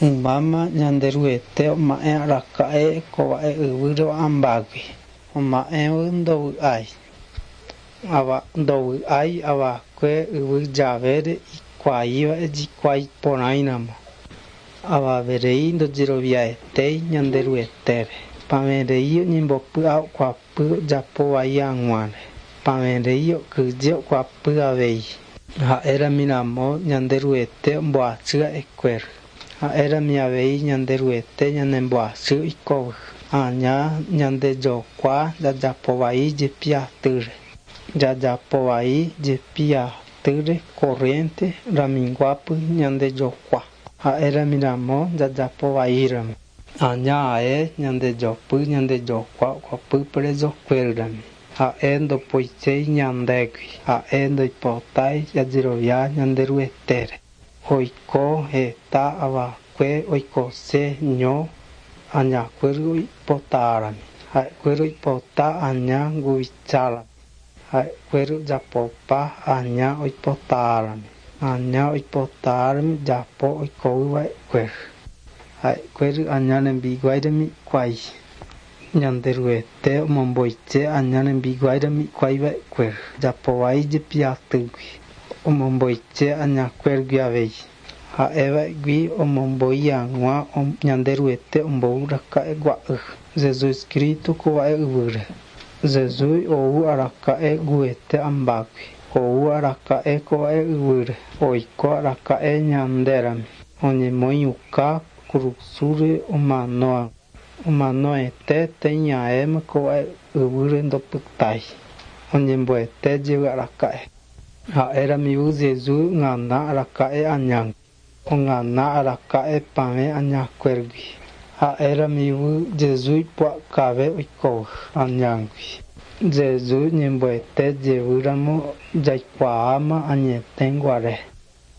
Ymáma Ñanderuete oma'ẽ araka'e ko mba'e yvýre ambágui. Oma'ẽvy ndovy'ái. Ava ndovy'ái avakue yvy javére ikuaíva ejikuái porãiramo. Avaverei ndojeroviaetéi Ñanderuetére. Pavẽrei oñembopy'akuapy ojapo vai hag̃uáre. Pavẽrei okyhyje okuapy avei. Ha'érami ramo Ñanderuete omboachy ha'ekuéra. Ha'érami avei Ñanderuete ñanemboachy oikóvy. Aña ñandejokua jajapo vai jepi atýre. Jajapo vai jepi atýre corriente raminguápy ñandejokua. Ha'érami ramo jajapo vaíramo. Aña ae ñandejopy ñandejokua okuapy presokuérami. Ha'e ndopoiséi ñandégui. Ha'e ndoipotái jajerovia Ñanderuetére. Oiko heta avakue oikose ño añakuéry oipotárami. Ha'ekuéra oipota aña nguvichárami. Ha'ekuéra ojapopa aña oipotárami. Aña oipotárami ojapo oikovýva'ekuéra. Ha'ekuéra aña rembiguáirami hikuái. Ñanderuete omomboite aña rembiguáirami hikuáiva'ekuéra. Ojapovai jepi atýgui. Omomboite añakuéragui avei. Ha'éva'egui omomboi hag̃ua Ñanderuete ombou raka'egua'y. Jesucristo kóva'e yvýre. Jesús ou araka'e guete ambágui. Ou araka'e kóva'e yvýre. Oiko araka'e ñandérami. Oñemoĩuka kurusúre omanoa. Omanoete teñaéma kóva'e yvýre ndopytái. Oñemboete jey araka'e. Ha'éramivu Jesús ogana araka'e añágui. Ogana araka'e pavẽ añakuéragui. Ha'éramivu Jesús ipu'akave oikóvy añágui. Jesús ñemboete jevýramo jaikuaáma añeteguare.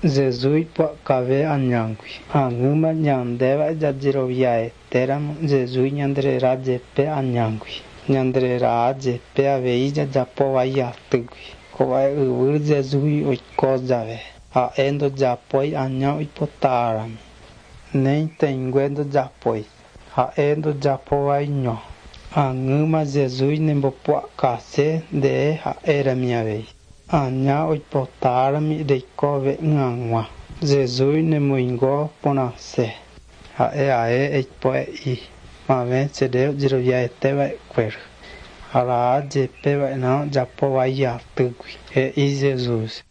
Jesús ipu'akave añágui. Ag̃ýma ñandéva jajeroviaetéramo Jesús ñanderera jepe añágui. Ñanderera jepe avei jajapo vai atýgui. Kóva'e yvy Jesús oiko jave. Ha'e ndojapói aña oipotárami. Néi ndojapói. Ha'e ndojapovaiño. Ag̃ýma Jesús nembopu'akase nde ha'érami avei. Aña oipotárami reikove'ỹ hag̃ua. Jesús nemoingo porãse. Ha'e ae eipo'e'i. Pavẽ chere ojeroviaeteva'ekuéra. Ára jepeva'erã ojapo vai atýgui. He'i Jesús.